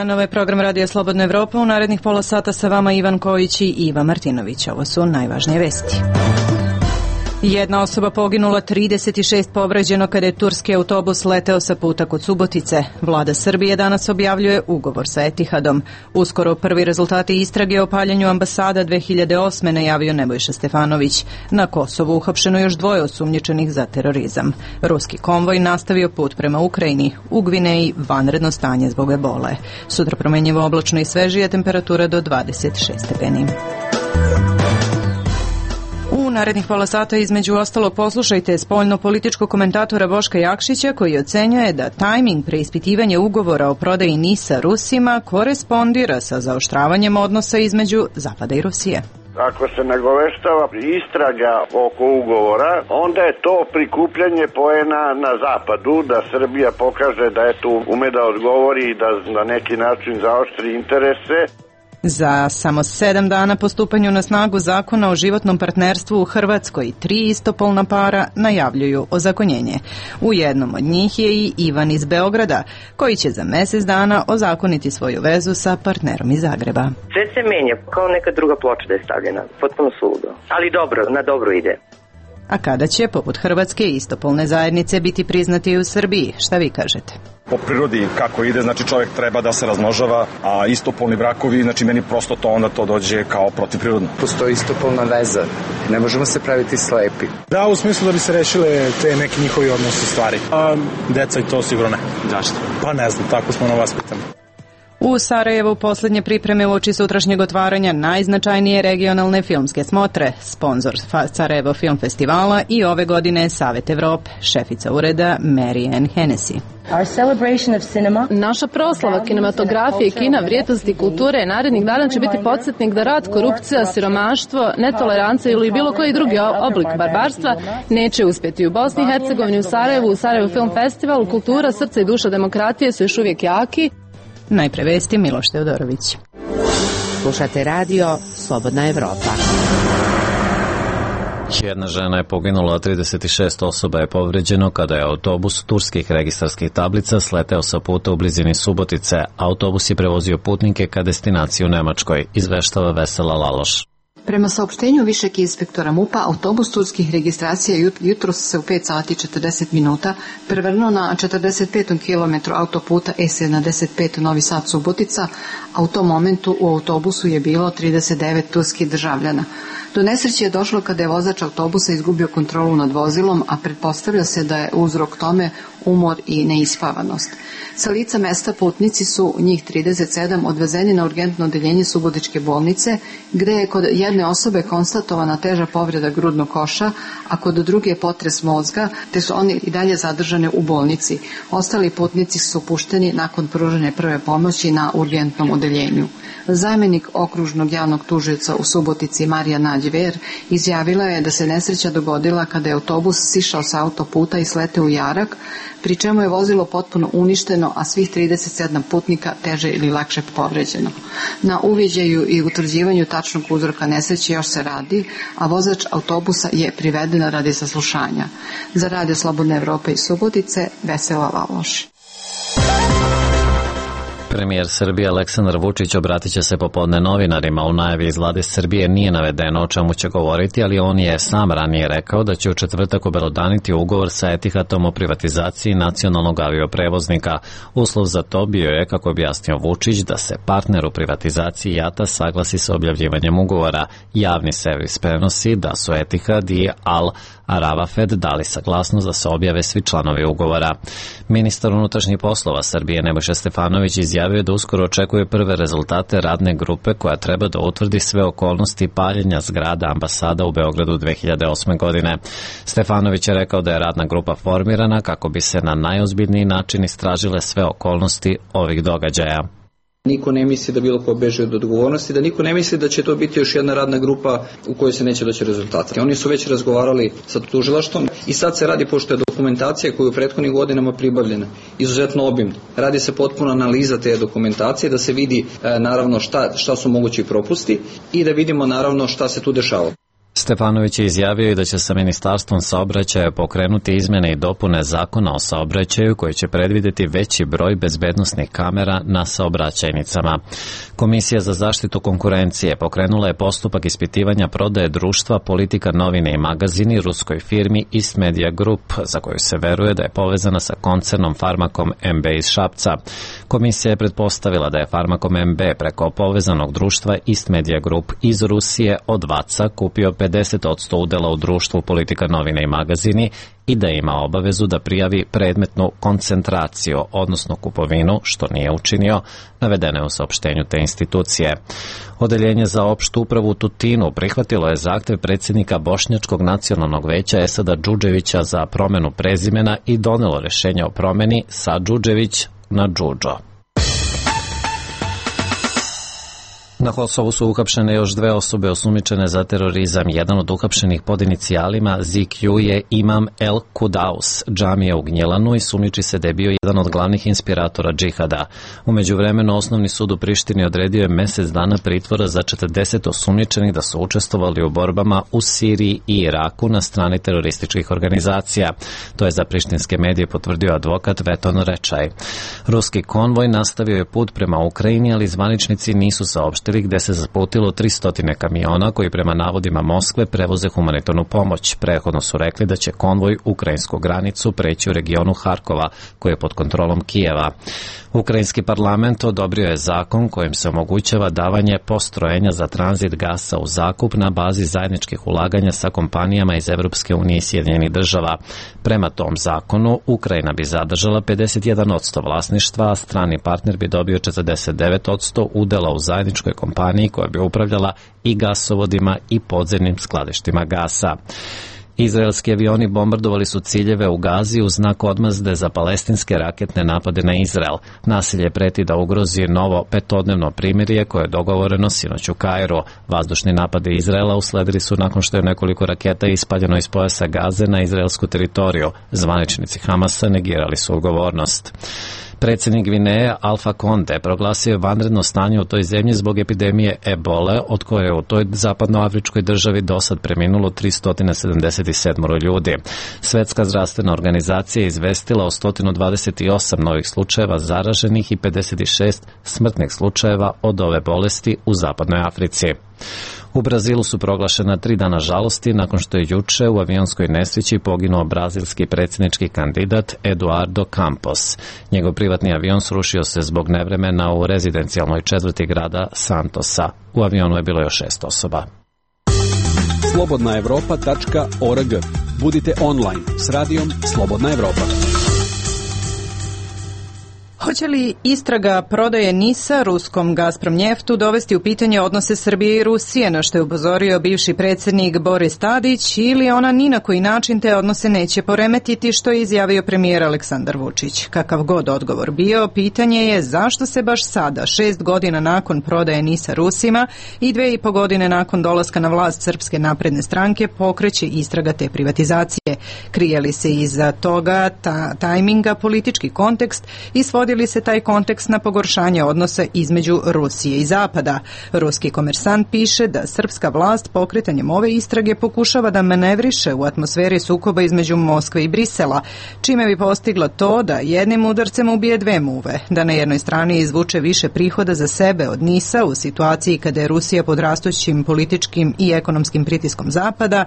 dan, ovaj program Radija Slobodna Evropa. U narednih pola sata sa vama Ivan Kojić i Iva Martinović. Ovo su najvažnije vesti. Jedna osoba poginula, 36 povređeno kada je turski autobus leteo sa puta kod Subotice. Vlada Srbije danas objavljuje ugovor sa Etihadom. Uskoro prvi rezultati istrage o paljenju ambasada 2008. najavio Nebojša Stefanović. Na Kosovu uhapšeno još 2 osumnjičenih za terorizam. Ruski konvoj nastavio put prema Ukrajini. U Gvineji vanredno stanje zbog ebole. Sutra promenjivo oblačno i svežije, temperatura do 26 stepeni. U narednih pola sata između ostalog poslušajte spoljno-političkog komentatora Boška Jakšića koji ocenjuje da tajming preispitivanja ugovora o prodaji NIS-a Rusima korespondira sa zaoštravanjem odnosa između Zapada i Rusije. Ako se nagoveštava istraga oko ugovora, onda je to prikupljanje poena na zapadu, da Srbija pokaže da je tu ume da odgovori i da na neki način zaoštri interese. Za samo 7 dana po stupanju na snagu zakona o životnom partnerstvu u Hrvatskoj 3 istopolna para najavljuju ozakonjenje. U jednom od njih je i Ivan iz Beograda, koji će za mjesec dana ozakoniti svoju vezu sa partnerom iz Zagreba. Sve se menja, kao neka druga ploča da je stavljena, potpuno suludo, ali dobro, na dobro ide. A kada će, poput Hrvatske, istopolne zajednice biti priznati i u Srbiji? Šta vi kažete? Po prirodi kako ide, znači čovjek treba da se razmnožava, a istopolni brakovi, znači meni prosto to onda to dođe kao protivprirodno. Postoji istopolna veza, ne možemo se praviti slepi. Da, u smislu da bi se rešile te neki njihovi odnosi stvari. A deca i to sigurno ne. Zašto? Pa ne znam, tako smo na vas pitamo. U Sarajevu posljednje pripreme uoči sutrašnjeg otvaranja najznačajnije regionalne filmske smotre. Sponzor Sarajevo Film Festivala i ove godine Savet Evrope, šefica ureda Mary Ann Hennessy. Naša proslava kinematografije, kina, vrijednosti kulture narednih dana će biti podsjetnik da rat, korupcija, siromaštvo, netolerancija ili bilo koji drugi oblik barbarstva neće uspjeti. U Bosni i Hercegovini, u Sarajevu Film Festival, kultura, srce i duša demokratije su još uvijek jaki. Najpre vesti, Miloš Teodorović. Slušate radio Slobodna Evropa. Jedna žena je poginula, a 36 osoba je povređeno kada je autobus turskih registarskih tablica sleteo sa puta u blizini Subotice. Autobus je prevozio putnike ka destinaciji u Nemačkoj, izveštava Vesela Laloš. Prema saopštenju višeg inspektora MUP-a, autobus turskih registracija jutros se u 5 sati 40 minuta prevrnuo na 45. kilometru autoputa E75 Novi Sad Subotica, a u tom momentu u autobusu je bilo 39 turskih državljana. Do nesreće je došlo kada je vozač autobusa izgubio kontrolu nad vozilom, a pretpostavlja se da je uzrok tome umor i neispavanost. Sa lica mesta putnici su, njih 37, odvezeni na urgentno odeljenje Subotičke bolnice, gde je kod jedne osobe konstatovana teža povreda grudnog koša, a kod druge potres mozga, te su oni i dalje zadržane u bolnici. Ostali putnici su pušteni nakon pružene prve pomoći na urgentnom odeljenju. Zamjenik okružnog javnog tužioca u Subotici Marija Nađver izjavila je da se nesreća dogodila kada je autobus sišao sa autoputa i sleteo u jarak, pri čemu je vozilo potpuno uništeno, a svih 37 putnika teže ili lakše povređeno. Na uviđaju i utvrđivanju tačnog uzroka nesreće još se radi, a vozač autobusa je priveden radi saslušanja. Za Radio Slobodne Evrope iz Subotice, Vesela Laloš. Premijer Srbije Aleksandar Vučić obratit će se popodne novinarima. U najavi iz Vlade Srbije nije navedeno o čemu će govoriti, ali on je sam ranije rekao da će u četvrtak obelodaniti ugovor sa Etihadom o privatizaciji nacionalnog avioprevoznika. Uslov za to bio je, kako objasnio Vučić, da se partner u privatizaciji JAT-a saglasi sa objavljivanjem ugovora. Javni servis prenosi da su Etihad i Al Aravafed dali saglasnost da se objave svi članovi ugovora. Ministar unutrašnjih poslova Srbije Nebojša Stefanović izjavio da uskoro očekuje prve rezultate radne grupe koja treba da utvrdi sve okolnosti paljenja zgrada ambasada u Beogradu 2008. godine. Stefanović je rekao da je radna grupa formirana kako bi se na najozbiljniji način istražile sve okolnosti ovih događaja. Niko ne misli da bilo ko beže od odgovornosti, da niko ne misli da će to biti još jedna radna grupa u kojoj se neće doći rezultati. Oni su već razgovarali sa tužilaštvom i sad se radi, pošto je dokumentacija koju je u prethodnih godinama pribavljena izuzetno obimna. Radi se potpuno analiza te dokumentacije da se vidi naravno šta su mogući propusti i da vidimo naravno šta se tu dešava. Stefanović je izjavio i da će sa Ministarstvom saobraćaja pokrenuti izmene i dopune Zakona o saobraćaju koji će predvideti veći broj bezbednosnih kamera na saobraćajnicama. Komisija za zaštitu konkurencije pokrenula je postupak ispitivanja prodaje društva Politika novine i magazini ruskoj firmi East Media Group, za koju se veruje da je povezana sa koncernom Farmakom MB iz Šapca. Komisija je pretpostavila da je Farmakom MB preko povezanog društva East Media Group iz Rusije od VAC-a kupio 50% udela u društvu Politika novine i magazini i da ima obavezu da prijavi predmetnu koncentraciju, odnosno kupovinu, što nije učinio, navedeno je u saopštenju te institucije. Odeljenje za opštu upravu u Tutinu prihvatilo je zahtev predsjednika Bošnjačkog nacionalnog veća Esada Džudževića za promenu prezimena i donelo rešenje o promeni sa Džudžević na Džudžo. Na Kosovu su uhapšene još 2 osobe osumnjičene za terorizam. Jedan od uhapšenih pod inicijalima ZQ je Imam El Kudaus, džamija u Gnjelanu, i sumnjiči se da je bio jedan od glavnih inspiratora džihada. U međuvremenu Osnovni sud u Prištini odredio je mjesec dana pritvora za 40 osumnjičenih da su učestvovali u borbama u Siriji i Iraku na strani terorističkih organizacija. To je za prištinske medije potvrdio advokat Veton Rečaj. Ruski konvoj nastavio je put prema Ukrajini, ali zvaničnici nisu saopštili gde se zaputilo 300 kamiona koji prema navodima Moskve prevoze humanitarnu pomoć. Prethodno su rekli da će konvoj ukrajinsku granicu preći u regionu Harkova, koji je pod kontrolom Kijeva. Ukrajinski parlament odobrio je zakon kojim se omogućava davanje postrojenja za tranzit gasa u zakup na bazi zajedničkih ulaganja sa kompanijama iz Evropske unije i Sjedinjenih država. Prema tom zakonu, Ukrajina bi zadržala 51% vlasništva, a strani partner bi dobio 49% udela u zajedničkoj kompaniji koja bi upravljala i gasovodima i podzemnim skladištima gasa. Izraelski avioni bombardovali su ciljeve u Gazi u znak odmazde za palestinske raketne napade na Izrael. Nasilje preti da ugrozi novo 5-dnevno primirje koje je dogovoreno sinoć u Kairu. Vazdušni napade Izraela usledili su nakon što je nekoliko raketa ispaljeno iz pojasa Gaze na izraelsku teritoriju. Zvaničnici Hamasa negirali su odgovornost. Predsjednik Gvineje Alfa Konde proglasio je vanredno stanje u toj zemlji zbog epidemije ebole, od koje je u toj zapadnoafričkoj državi dosad preminulo 377 ljudi. Svetska zdravstvena organizacija je izvestila o 128 novih slučajeva zaraženih i 56 smrtnih slučajeva od ove bolesti u zapadnoj Africi. U Brazilu su proglašena 3 dana žalosti nakon što je juče u avionskoj nesreći poginuo brazilski predsjednički kandidat Eduardo Campos. Njegov privatni avion srušio se zbog nevremena u rezidencijalnoj četvrti grada Santosa. U avionu je bilo još 6 osoba. Slobodnaevropa.org. Budite online s radijom Slobodna Evropa. Hoće li istraga prodaje NIS-a ruskom Gazprom njeftu dovesti u pitanje odnose Srbije i Rusije, na što je upozorio bivši predsjednik Boris Tadić, ili ona ni na koji način te odnose neće poremetiti, što je izjavio premijer Aleksandar Vučić? Kakav god odgovor bio, pitanje je zašto se baš sada, 6 godina nakon prodaje NIS-a Rusima i 2,5 godine nakon dolaska na vlast Srpske napredne stranke, pokreće istraga te privatizacije. Krije li se iza toga tajminga politički kontekst i svodi li se taj kontekst na pogoršanje odnosa između Rusije i Zapada? Ruski Komersant piše da srpska vlast pokretanjem ove istrage pokušava da manevriše u atmosferi sukoba između Moskve i Brisela, čime bi postigla to da jednim udarcem ubije 2 muve, da na jednoj strani izvuče više prihoda za sebe od NIS-a u situaciji kada je Rusija pod rastućim političkim i ekonomskim pritiskom Zapada,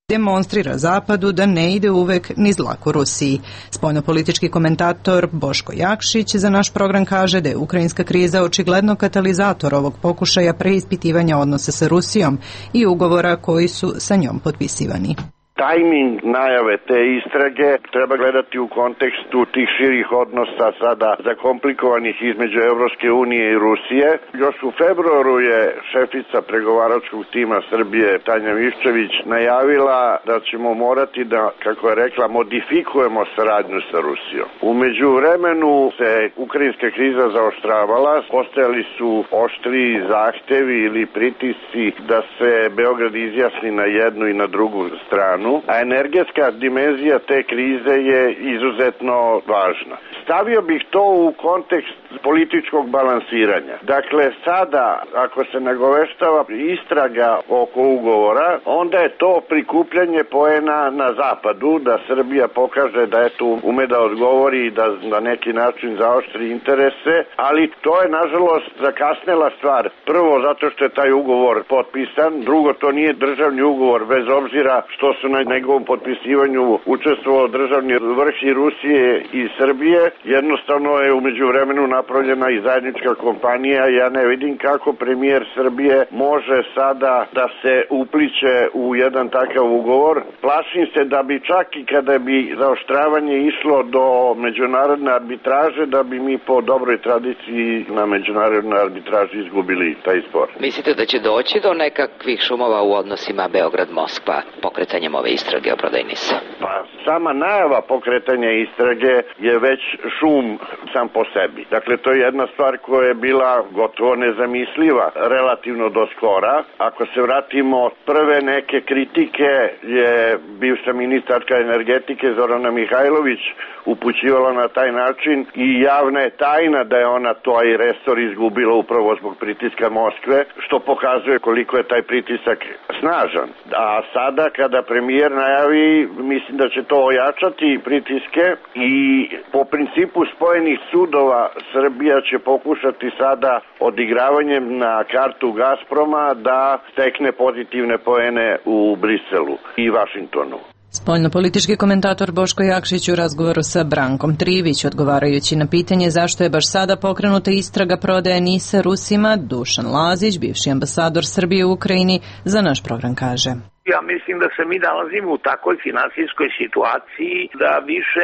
demonstrira Zapadu da ne ide uvek niz dlaku Rusiji. Spoljnopolitički komentator Boško Jakšić za naš program kaže da je ukrajinska kriza očigledno katalizator ovog pokušaja preispitivanja odnosa sa Rusijom i ugovora koji su sa njom potpisivani. Tajming najave te istrage treba gledati u kontekstu tih širih odnosa sada zakomplikovanih između Evropske unije i Rusije. Još u februaru je šefica pregovaračkog tima Srbije Tanja Miščević najavila da ćemo morati da, kako je rekla, modifikujemo saradnju sa Rusijom. U međuvremenu se ukrajinska kriza zaoštravala, postojali su oštriji zahtevi ili pritisci da se Beograd izjasni na jednu i na drugu stranu. A energetska dimenzija te krize je izuzetno važna. Stavio bih to u kontekst političkog balansiranja. Dakle, sada, ako se nagoveštava istraga oko ugovora, onda je to prikupljanje poena na zapadu, da Srbija pokaže da eto ume da odgovori i da na neki način zaoštri interese, ali to je nažalost zakasnela stvar. Prvo, zato što je taj ugovor potpisan, drugo, to nije državni ugovor, bez obzira što su na njegovom potpisivanju učestvovao državni vrh i Rusije i Srbije. Jednostavno je umeđu vremenu napravljena i zajednička kompanija. Ja ne vidim kako premijer Srbije može sada da se upliće u jedan takav ugovor. Plašim se da bi čak i kada bi zaoštravanje išlo do međunarodne arbitraže, da bi mi po dobroj tradiciji na međunarodnoj arbitraži izgubili taj spor. Mislite da će doći do nekakvih šumova u odnosima Beograd-Moskva pokretanjem ove istrage o prodaji NIS-a? Pa sama najava pokretanja istrage je već šum sam po sebi. Dakle, to je jedna stvar koja je bila gotovo nezamisliva relativno do skora. Ako se vratimo, prve neke kritike je bivša ministarka energetike Zorana Mihajlović upućivala na taj način i javna je tajna da je ona taj resor izgubila upravo zbog pritiska Moskve, što pokazuje koliko je taj pritisak snažan. A sada kada premijer najavi, mislim da će to ojačati pritiske i po principu spojenih sudova Srbija će pokušati sada odigravanjem na kartu Gazproma da stekne pozitivne poene u Briselu i Vašingtonu. Spoljnopolitički komentator Boško Jakšić u razgovoru sa Brankom Trivić, odgovarajući na pitanje zašto je baš sada pokrenuta istraga prodaje NIS-a Rusima, Dušan Lazić, bivši ambasador Srbije u Ukrajini, za naš program kaže: Ja mislim da se mi nalazimo u takvoj finansijskoj situaciji da više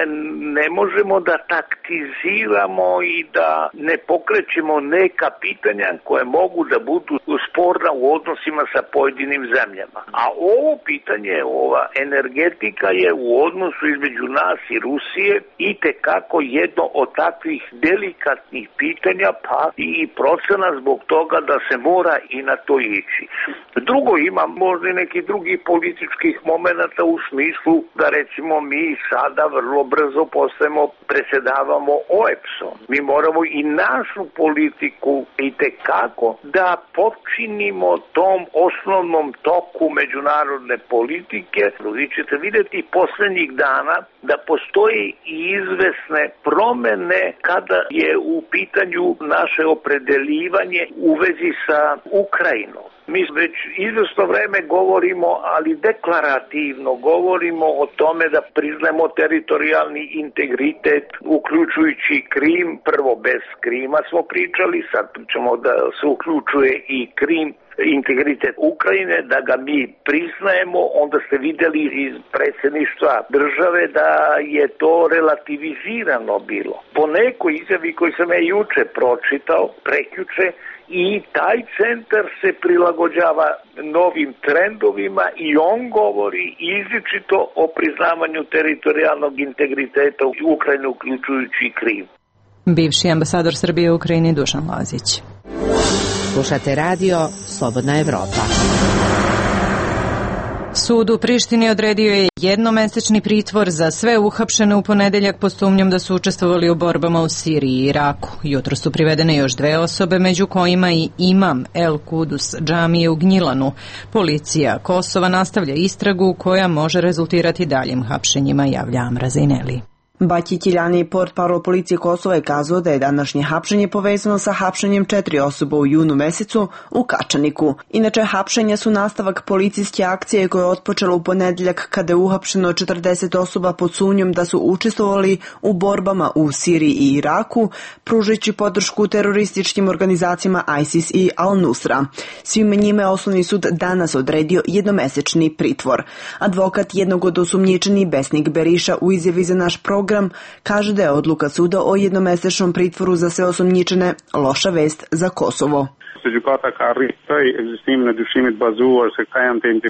ne možemo da taktiziramo i da ne pokrećemo neka pitanja koje mogu da budu sporna u odnosima sa pojedinim zemljama. A ovo pitanje, ova energetika je u odnosu između nas i Rusije itekako jedno od takvih delikatnih pitanja, pa i procena zbog toga da se mora i na to ići. Drugo, ima možda i neki drugi političkih momenata u smislu da recimo mi sada vrlo brzo predsjedavamo OEBS-om. Mi moramo i našu politiku itekako da počinimo tom osnovnom toku međunarodne politike. Vi ćete vidjeti posljednjih dana da postoji i izvesne promjene kada je u pitanju naše opredeljivanje u vezi sa Ukrajinom. Mi već izvesno vreme govorimo, ali deklarativno govorimo o tome da priznajemo teritorijalni integritet, uključujući Krim. Prvo bez Krima smo pričali, sad pričamo da se uključuje i Krim, integritet Ukrajine, da ga mi priznajemo. Onda ste vidjeli iz predsjedništva države da je to relativizirano bilo. Po nekoj izjavi koju sam ja juče pročitao, prekjuče, i taj centar se prilagođava novim trendovima i on govori izričito o priznavanju teritorijalnog integriteta u Ukrajini, uključujući Krim. Bivši ambasador Srbije u Ukrajini Dušan Lazić. Slušate radio Slobodna Evropa. Sud u Prištini odredio je jednomesečni pritvor za sve uhapšene u ponedeljak pod sumnjom da su učestvovali u borbama u Siriji i Iraku. Jutro su privedene još 2 osobe, među kojima i imam El Kudus džamije u Gnjilanu. Policija Kosova nastavlja istragu koja može rezultirati daljim hapšenjima, javlja Amra Zejneli. Baki Tiljani, portparol policije Kosova, je kazao da je današnje hapšenje povezano sa hapšenjem 4 osoba u junu mesecu u Kačaniku. Inače, hapšenja su nastavak policijske akcije koja je otpočela u ponedeljak kada je uhapšeno 40 osoba pod sumnjom da su učestvovali u borbama u Siriji i Iraku, pružajući podršku terorističkim organizacijama ISIS i Al-Nusra. Svima njima je osnovni sud danas odredio jednomesečni pritvor. Advokat jednog od osumnjičenih, Besnik Beriša, u izjavi za naš program kaže da je odluka suda o jednomesečnom pritvoru za sve osumnjičene loša vest za Kosovo.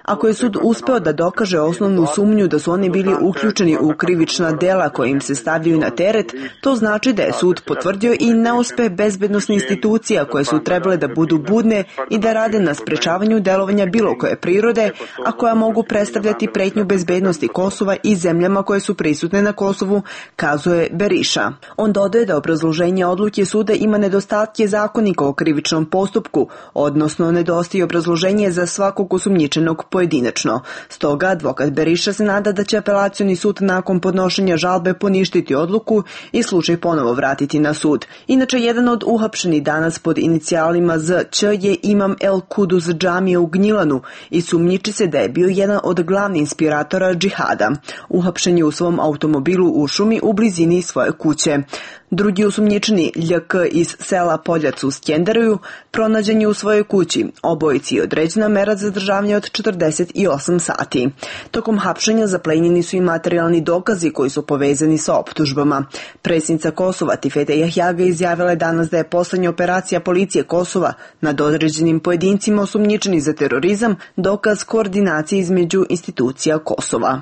Ako je sud uspeo da dokaže osnovnu sumnju da su oni bili uključeni u krivična dela koje im se stavljaju na teret, to znači da je sud potvrdio i neuspeh bezbednosnih institucija koje su trebale da budu budne i da rade na sprečavanju delovanja bilo koje prirode, a koja mogu predstavljati pretnju bezbednosti Kosova i zemljama koje su prisutne na Kosovu, kazuje Beriša. On dodaje da obrazloženje odluke suda ima nedostatke zakonika o krivičnom postupku, odnosno nedostaje obrazloženje za svakog osumnjičenog pojedinačno. Stoga advokat Beriša se nada da će apelacioni sud nakon podnošenja žalbe poništiti odluku i slučaj ponovo vratiti na sud. Inače, jedan od uhapšenih danas pod inicijalima ZČ je imam El Kuduz džamije u Gnjilanu i sumnjiči se da je bio jedan od glavnih inspiratora džihada. Uhapšen je u svom automobilu u šumi u blizini svoje kuće. Drugi osumnjičeni, LJK iz sela Poljac u Skenderuju, pronađen je u svojoj kući. Obojici je određena mera zadržavanja od 48 sati. Tokom hapšenja zaplenjeni su i materijalni dokazi koji su povezani sa optužbama. Predsjednica Kosova Tifete Jahjaga izjavila je danas da je poslednja operacija policije Kosova nad određenim pojedincima osumnjičeni za terorizam dokaz koordinacije između institucija Kosova.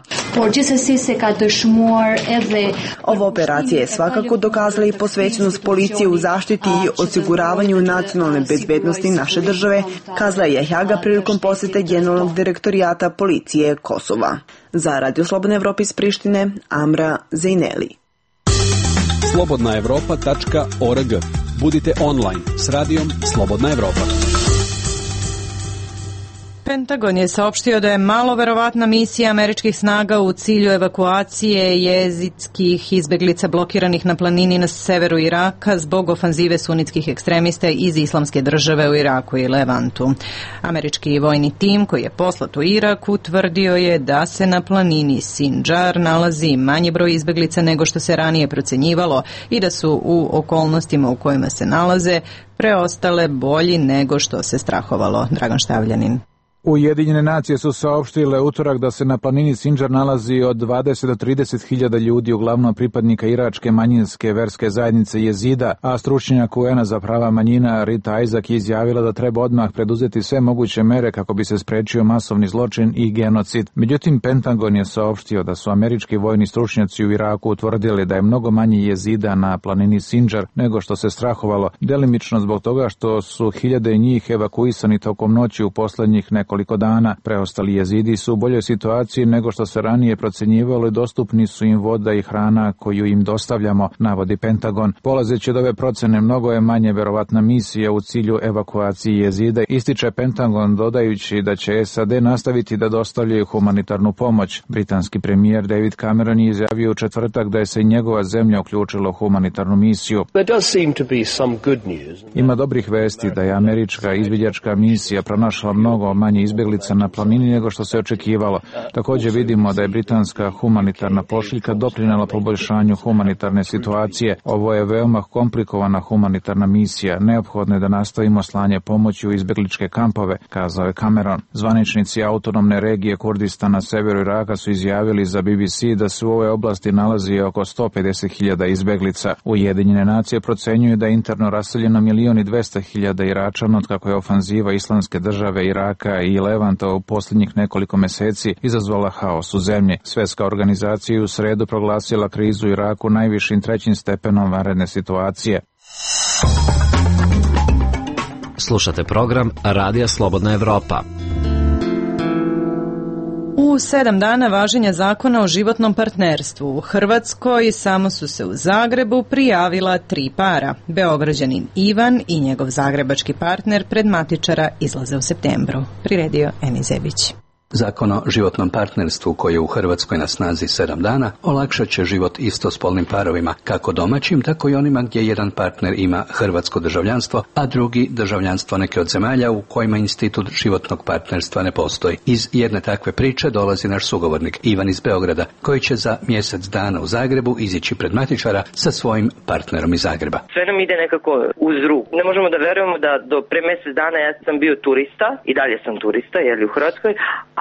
Ova operacija je svakako dokazala i posvećenost policije u zaštiti i osiguravanju nacionalne bezbednosti naše države, kazala je Jahjaga prilikom posete generalnog direktorijata policije Kosova. Za Radio Slobodna Evropa iz Prištine, Amra Zejneli. slobodnaevropa.org. Budite online s radijom Slobodna Evropa. Pentagon je saopštio da je malo verovatna misija američkih snaga u cilju evakuacije jezidskih izbeglica blokiranih na planini na severu Iraka zbog ofanzive sunitskih ekstremista iz Islamske države u Iraku i Levantu. Američki vojni tim koji je poslat u Irak utvrdio je da se na planini Sinjar nalazi manji broj izbeglica nego što se ranije procenjivalo i da su u okolnostima u kojima se nalaze preostale bolji nego što se strahovalo. Dragan Štavljanin. Ujedinjene nacije su saopštile utorak da se na planini Sinjar nalazi od 20 do 30 hiljada ljudi, uglavnom pripadnika iračke manjinske verske zajednice jezida, a stručnjak UN-a za prava manjina Rita Isaac je izjavila da treba odmah preduzeti sve moguće mere kako bi se sprečio masovni zločin i genocid. Međutim, Pentagon je saopštio da su američki vojni stručnjaci u Iraku utvrdili da je mnogo manje jezida na planini Sinjar nego što se strahovalo, delimično zbog toga što su hiljade njih evakuisani tokom noći u poslednjih nekoliko dana. Preostali jezidi su u boljoj situaciji nego što se ranije procenjivalo i dostupni su im voda i hrana koju im dostavljamo, navodi Pentagon. Polazeći od ove procene, mnogo je manje verovatna misija u cilju evakuacije jezida, ističe Pentagon dodajući da će SAD nastaviti da dostavljaju humanitarnu pomoć. Britanski premijer David Cameron je izjavio u četvrtak da je se njegova zemlja uključila u humanitarnu misiju. Ima dobrih vesti da je američka izviđačka misija pronašla mnogo manje izbeglica na planini nego što se očekivalo. Također vidimo da je britanska humanitarna pošiljka doprinela poboljšanju humanitarne situacije. Ovo je veoma komplikovana humanitarna misija. Neophodno je da nastavimo slanje pomoći u izbegličke kampove, kazao je Cameron. Zvaničnici autonomne regije Kurdistana na severu Iraka su izjavili za BBC da se u ovoj oblasti nalazi oko 150.000 izbeglica. Ujedinjene nacije procenjuju da je interno raseljeno 1.200.000 Iračana od kako je ofanziva Islamske države Iraka i Levanta u posljednjih nekoliko meseci izazvala haos u zemlji. Svjetska organizacija je u sredu proglasila krizu u Iraku najvišim 3. stepenom vanredne situacije. Slušate program Radija Slobodna Evropa. U 7 dana važenja zakona o životnom partnerstvu u Hrvatskoj samo su se u Zagrebu prijavila 3 para. Beograđanin Ivan i njegov zagrebački partner pred matičara izlaze u septembru. Priredio Eni Zebić. Zakon o životnom partnerstvu koji je u Hrvatskoj na snazi 7 dana olakšat će život istospolnim parovima, kako domaćim, tako i onima gdje jedan partner ima hrvatsko državljanstvo, a drugi državljanstvo neke od zemalja u kojima institut životnog partnerstva ne postoji. Iz jedne takve priče dolazi naš sugovornik Ivan iz Beograda, koji će za mjesec dana u Zagrebu izići pred matičara sa svojim partnerom iz Zagreba. Sve nam ide nekako uz ruku. Ne možemo da verujemo da do pre mjesec dana ja sam bio turista i dalje sam turista, u Hrvatskoj,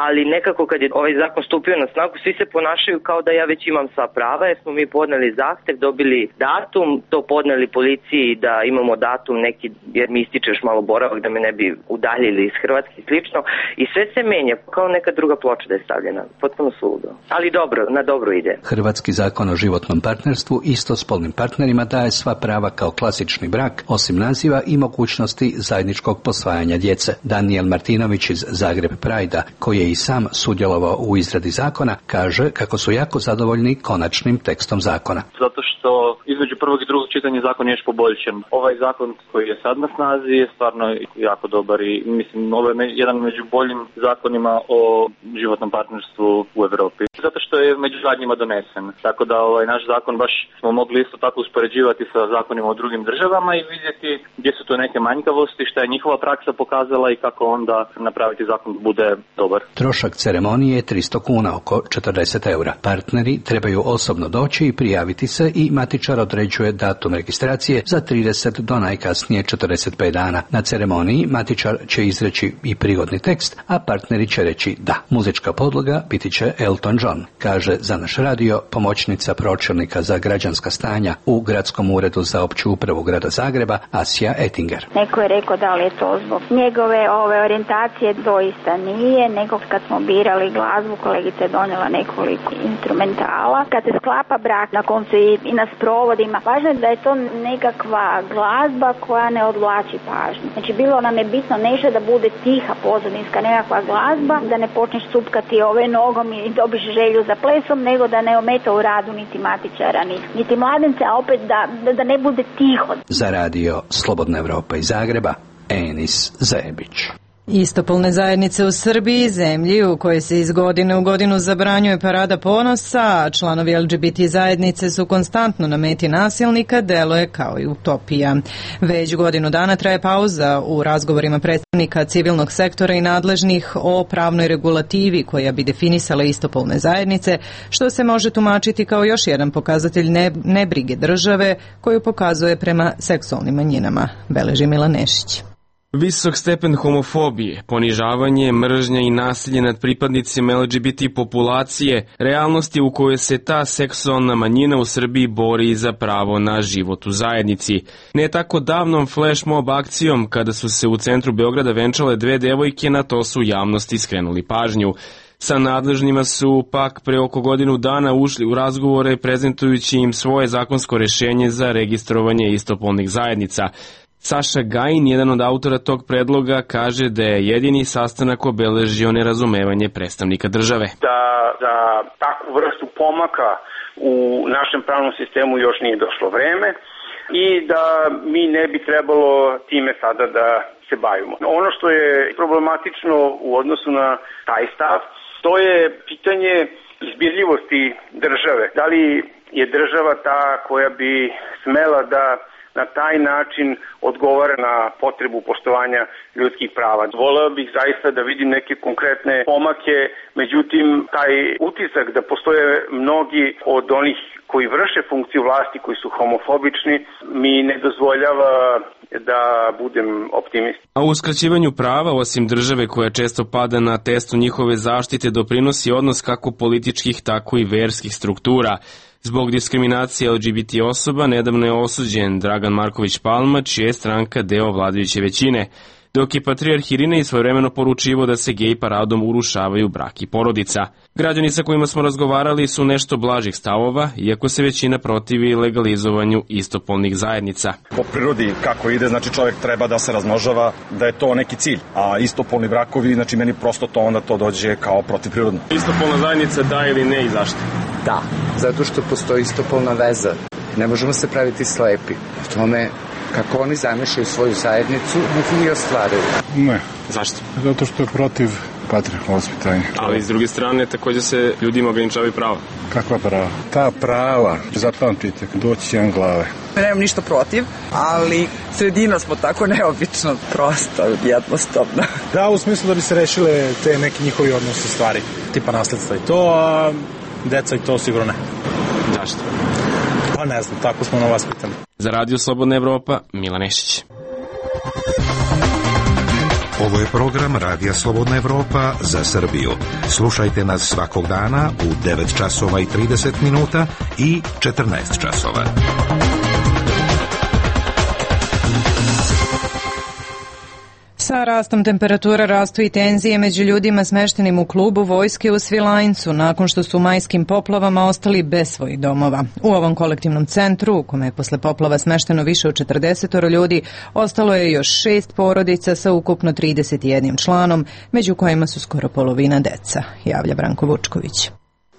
ali nekako kad je ovaj zakon stupio na snagu, svi se ponašaju kao da ja već imam sva prava, jer smo mi podneli zahtev, dobili datum, to podneli policiji da imamo datum neki, jer mi ističe još malo boravak da me ne bi udaljili iz Hrvatske i slično, i sve se menja, kao neka druga ploča da je stavljena, potpuno suludo, ali dobro, na dobro ide. Hrvatski zakon o životnom partnerstvu istospolnim partnerima daje sva prava kao klasični brak, osim naziva i mogućnosti zajedničkog posvajanja djece. Daniel Martinović iz Zagreb Prajda, koji je i sam sudjelovao u izradi zakona, kaže kako su jako zadovoljni konačnim tekstom zakona. Zato što između prvog i drugog čitanja zakon je još poboljšan. Ovaj zakon koji je sad na snazi je stvarno jako dobar i mislim ovo je jedan među boljim zakonima o životnom partnerstvu u Europi. Zato što je među zadnjima donesen. Tako da naš zakon baš smo mogli isto tako uspoređivati sa zakonima u drugim državama i vidjeti gdje su to neke manjkavosti, šta je njihova praksa pokazala i kako onda napraviti zakon da bude dobar. Trošak ceremonije je 300 kuna, oko 40 eura. Partneri trebaju osobno doći i prijaviti se i matičar određuje datum registracije za 30 do najkasnije 45 dana. Na ceremoniji matičar će izreći i prigodni tekst, a partneri će reći da. Muzička podloga biti će Elton John, kaže za naš radio pomoćnica pročelnika za građanska stanja u Gradskom uredu za opću upravu grada Zagreba, Asija Ettinger. Neko je rekao da li je to zbog njegove orijentacije, doista nije, nego kad smo birali glazbu, kolegica je donijela nekoliko instrumentala. Kad se sklapa brak, na koncu i na sprovodima, važno je da je to nekakva glazba koja ne odvlači pažnju. Znači bilo nam je bitno nešto da bude tiha pozadinska nekakva glazba, da ne počneš cupkati nogom i dobiš želju za plesom, nego da ne ometa u radu niti matičara, niti mladence, a opet da ne bude tiho. Za radio Slobodna Evropa iz Zagreba, Enis Zebić. Istopolne zajednice u Srbiji, zemlji u kojoj se iz godine u godinu zabranjuje parada ponosa, a članovi LGBT zajednice su konstantno na meti nasilnika, deluje kao i utopija. Već godinu dana traje pauza u razgovorima predstavnika civilnog sektora i nadležnih o pravnoj regulativi koja bi definisala istopolne zajednice, što se može tumačiti kao još jedan pokazatelj nebrige države koju pokazuje prema seksualnim manjinama, beleži Milan Nešić. Visok stepen homofobije, ponižavanje, mržnja i nasilje nad pripadnicima LGBT populacije, realnosti u kojoj se ta seksualna manjina u Srbiji bori za pravo na život u zajednici. Ne tako davnom flash mob akcijom, kada su se u centru Beograda venčale dve devojke, na to su javnosti skrenuli pažnju. Sa nadležnima su pak pre oko godinu dana ušli u razgovore prezentujući im svoje zakonsko rešenje za registrovanje istopolnih zajednica. Saša Gajin, jedan od autora tog predloga, kaže da je jedini sastanak obeležio nerazumevanje predstavnika države. Da za takvu vrstu pomaka u našem pravnom sistemu još nije došlo vreme i da mi ne bi trebalo time sada da se bavimo. Ono što je problematično u odnosu na taj stav, to je pitanje izbirljivosti države. Da li je država ta koja bi smela da na taj način odgovara na potrebu poštovanja ljudskih prava. Voleo bih zaista da vidim neke konkretne pomake, međutim taj utisak da postoje mnogi od onih koji vrše funkciju vlasti, koji su homofobični, mi ne dozvoljava da budem optimist. A u uskraćivanju prava, osim države koja često pada na testu njihove zaštite, doprinosi odnos kako političkih, tako i verskih struktura. Zbog diskriminacije LGBT osoba nedavno je osuđen Dragan Marković Palma, čija je stranka deo vladajuće većine, dok je patrijarh Irinej svojevremeno poručivo da se gej paradom urušavaju brak i porodica. Građani sa kojima smo razgovarali su nešto blažih stavova, iako se većina protivi legalizovanju istopolnih zajednica. Po prirodi kako ide, znači čovjek treba da se razmnožava, da je to neki cilj, a istopolni brakovi, znači meni prosto to onda to dođe kao protivprirodno. Istopolna zajednica da ili ne i zašto? Da, zato što postoji istopolna veza. Ne možemo se praviti slepi. U tome kako oni zamišljaju svoju zajednicu, nek i ostvaruju. Ne. Zašto? Zato što je protiv patrijarhalnog vaspitanja. Ali s druge strane također se ljudima ograničavaju prava. Kakva prava? Ta prava, zapamtite, doći jedan glave. Nemam ništa protiv, ali sredina smo tako neobično, prosto, jednostavno. Da, u smislu da bi se rešile te neki njihovi odnosi stvari, tipa nasledstva i to, a deca i to sigurno ne. Zašto? Pa ne znam, tako smo na vas pitani. Za radio Slobodna Evropa, Milan Nešić. Ovo je program Radija Slobodna Evropa za Srbiju. Slušajte nas svakog dana u 9 časova i 30 minuta i 14 časova. Sa rastom temperatura rastu i tenzije među ljudima smeštenim u klubu vojske u Svilajncu nakon što su u majskim poplavama ostali bez svojih domova. U ovom kolektivnom centru, u kome je posle poplava smešteno više od 40 ljudi, ostalo je još 6 porodica sa ukupno 31 članom, među kojima su skoro polovina deca, javlja Branko Vučković.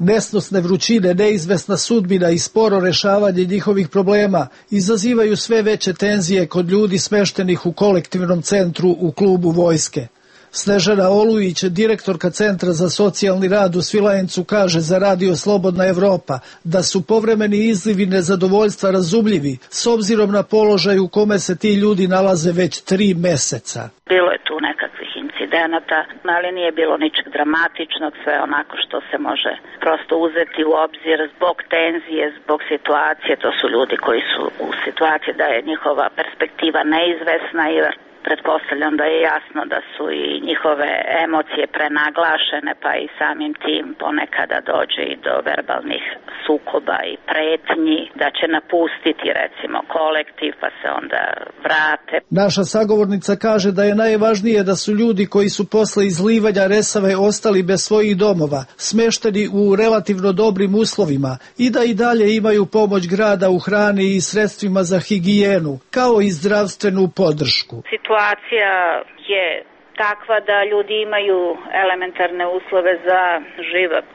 Nesnosne vrućine, neizvesna sudbina i sporo rešavanje njihovih problema izazivaju sve veće tenzije kod ljudi smeštenih u kolektivnom centru u klubu vojske. Snežana Olujić, direktorka Centra za socijalni rad u Svilajncu, kaže za Radio Slobodna Evropa da su povremeni izlivi nezadovoljstva razumljivi s obzirom na položaj u kome se ti ljudi nalaze već 3 meseca. Bilo je tu nekakvih incidenata, ali nije bilo ničeg dramatičnog, sve onako što se može prosto uzeti u obzir zbog tenzije, zbog situacije. To su ljudi koji su u situaciji da je njihova perspektiva neizvesna i pretpostavljam da je jasno da su i njihove emocije prenaglašene, pa i samim tim ponekada dođe i do verbalnih sukoba i pretnji da će napustiti recimo kolektiv pa se onda vrate. Naša sagovornica kaže da je najvažnije da su ljudi koji su posle izlivanja resave ostali bez svojih domova, smešteni u relativno dobrim uslovima i da i dalje imaju pomoć grada u hrani i sredstvima za higijenu, kao i zdravstvenu podršku. Situacija je takva da ljudi imaju elementarne uslove za život.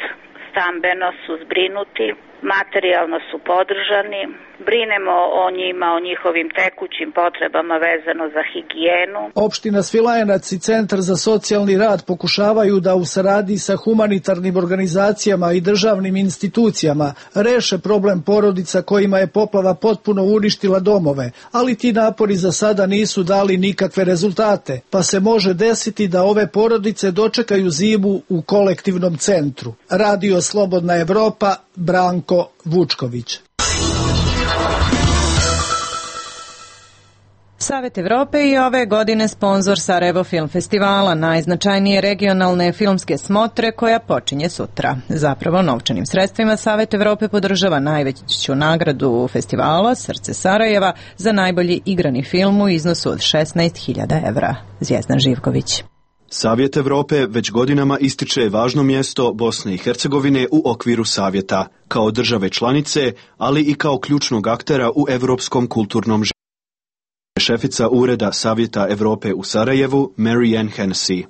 Stambeno su zbrinuti, materijalno su podržani, brinemo o njima, o njihovim tekućim potrebama vezano za higijenu. Opština Svilajnac i Centar za socijalni rad pokušavaju da u saradnji sa humanitarnim organizacijama i državnim institucijama reše problem porodica kojima je poplava potpuno uništila domove, ali ti napori za sada nisu dali nikakve rezultate, pa se može desiti da ove porodice dočekaju zimu u kolektivnom centru. Radio Slobodna Evropa, Branko Vučković. Savet Evrope i ove godine sponzor Sarajevo Film Festivala, najznačajnije regionalne filmske smotre koja počinje sutra. Zapravo novčanim sredstvima Savet Evrope podržava najveću nagradu festivala Srce Sarajeva za najbolji igrani film u iznosu od 16.000 evra. Zvjezdan Živković. Savjet Evrope već godinama ističe važno mjesto Bosne i Hercegovine u okviru Savjeta, kao države članice, ali i kao ključnog aktera u evropskom kulturnom životu. Šefica Ureda Savjeta Evrope u Sarajevu, Mary Ann Hennessy.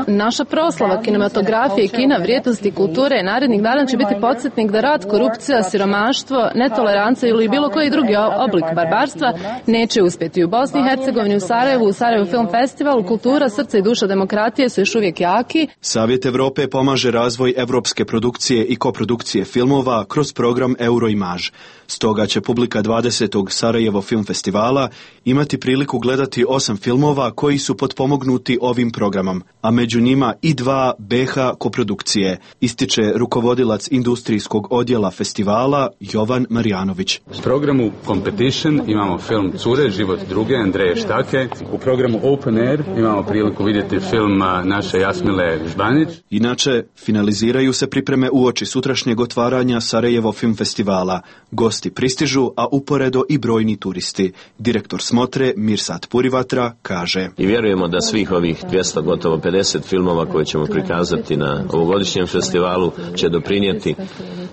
Naša proslava kinematografije i kina, vrijednosti kulture i narednih dana će biti podsjetnik da rat, korupcija, siromaštvo, netolerancija ili bilo koji drugi oblik barbarstva neće uspjeti u Bosni i Hercegovini, u Sarajevu Film Festivalu, kultura, srce i duša demokratije su još uvijek jaki. Savjet Evrope pomaže razvoj evropske produkcije i koprodukcije filmova kroz program Euroimage. Stoga će publika 20. Sarajevo Film Festivala imati priliku gledati 8 filmova koji su potpomognuti ovim programom, a među njima i 2 BH koprodukcije, ističe rukovodilac industrijskog odjela festivala Jovan Marjanović. U programu Competition imamo film Cure, život druge, Andreje Štake. U programu Open Air imamo priliku vidjeti film naše Jasmile Žbanić. Inače, finaliziraju se pripreme uoči sutrašnjeg otvaranja Sarajevo Film Festivala. Gosti pristižu, a uporedo i brojni turisti. Direktor smotre Mirsad Purivatra kaže: I vjerujemo da svih ovih 200, gotovo 50 filmova koje ćemo prikazati na ovogodišnjem festivalu će doprinijeti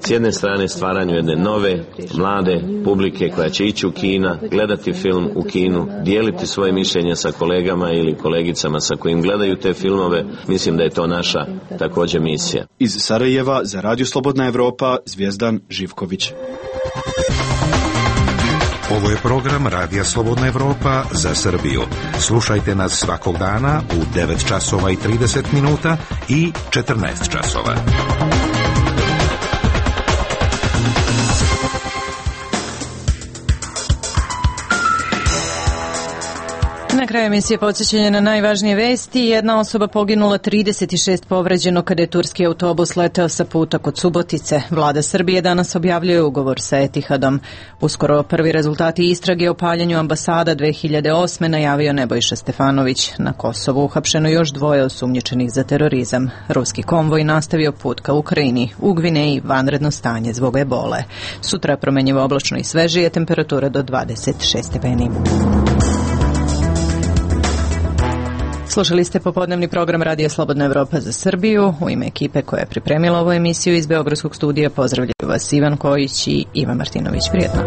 s jedne strane stvaranju jedne nove, mlade publike koja će ići u kina, gledati film u kinu, dijeliti svoje mišljenje sa kolegama ili kolegicama sa kojim gledaju te filmove. Mislim da je to naša također misija. Iz Sarajeva za Radio Slobodna Evropa, Zvjezdan Živković. Ovo je program Radija Slobodna Evropa za Srbiju. Slušajte nas svakog dana u 9 časova i 30 minuta i 14 časova. kraju emisije podsjećanje na najvažnije vesti. Jedna osoba poginula, 36 povređeno kada je turski autobus leteo sa puta kod Subotice. Vlada Srbije danas objavljuje ugovor sa Etihadom. Uskoro prvi rezultati istrage o paljenju ambasada 2008. najavio Nebojša Stefanović. Na Kosovu uhapšeno još 2 osumnjičenih za terorizam. Ruski konvoj nastavio put ka Ukrajini. U Gvineji vanredno stanje zbog ebole. Sutra promenjivo oblačno i svežije, temperatura do 26 stepeni. Slušali ste popodnevni program Radija Slobodna Evropa za Srbiju. U ime ekipe koja je pripremila ovu emisiju iz Beogradskog studija pozdravljaju vas Ivan Kojić i Ivan Martinović. Prijetno.